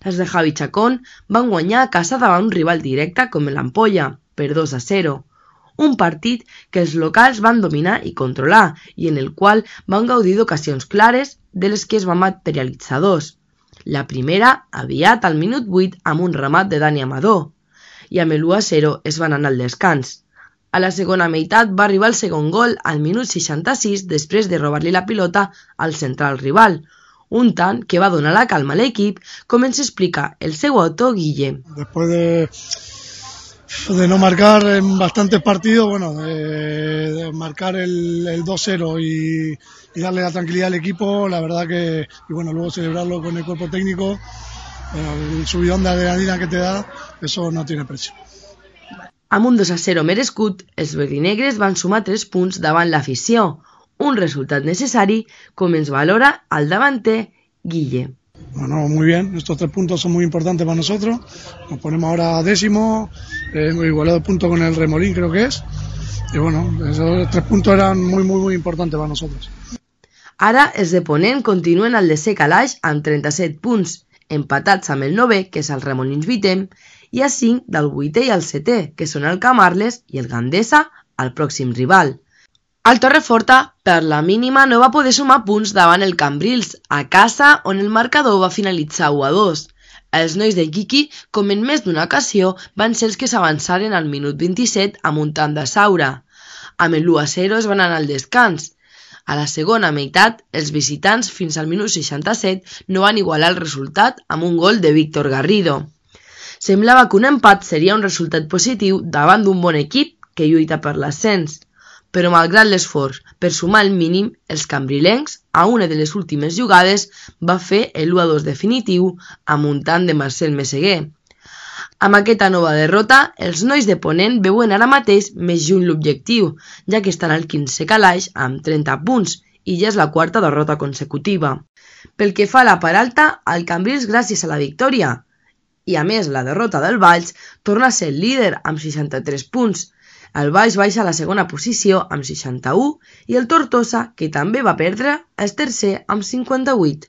Els de Javi Chacón van guanyar a casa davant un rival directe com l'Ampolla, per 2-0. Un partit que els locals van dominar i controlar i en el qual van gaudir d'ocasions clares de les que es van materialitzar dos. La primera aviat al minut 8 amb un remat de Dani Amador i amb l'1-0 es van anar al descans. A la segona meitat va arribar el segon gol al minut 66 després de robar-li la pilota al central rival, un tant que va donar la calma a l'equip, com ens explica el seu autor Guille. Después de no marcar en bastantes partidos, de marcar el 2-0 y darle la tranquilidad al equipo, la verdad que, luego celebrarlo con el cuerpo técnico, el subidón de adrenalina que te da, eso no tiene precio. Amb un 2-0 merescut, els verdinegres van sumar 3 punts davant l'afició, un resultat necessari, com ens valora el davanter Guille. Bueno, muy bien, estos 3 puntos son muy importantes para nosotros, nos ponemos ahora 10º, igualado de punto con el Remolín creo que es, y esos 3 puntos eran muy importantes para nosotros. Ara els de Ponent continuen al desè calaix amb 37 punts, empatats amb el 9è, que és el Remolins 8è, i a 5 del 8è i el 7è, que són el Camarles i el Gandesa, el pròxim rival. El Torreforta, per la mínima, no va poder sumar punts davant el Cambrils, a casa on el marcador va finalitzar 1-2. Els nois de Quiqui, com en més d'una ocasió, van ser els que s'avançaren al minut 27 amb un tant de Saura. Amb el 1-0 es van anar al descans. A la segona meitat, els visitants fins al minut 67 no van igualar el resultat amb un gol de Víctor Garrido. Semblava que un empat seria un resultat positiu davant d'un bon equip que lluita per l'ascens, però malgrat l'esforç per sumar el mínim, els cambrilencs, a una de les últimes jugades, va fer el 1-2 definitiu amb un tant de Marcel Meseguer. Amb aquesta nova derrota, els nois de Ponent veuen ara mateix més lluny l'objectiu, ja que estan al 15è calaix amb 30 punts i ja és la 4ª derrota consecutiva. Pel que fa a la part alta, el Cambrils, gràcies a la victòria i a més la derrota del Valls, torna a ser el líder amb 63 punts. El Valls baixa a la segona posició amb 61 i el Tortosa, que també va perdre, és tercer amb 58.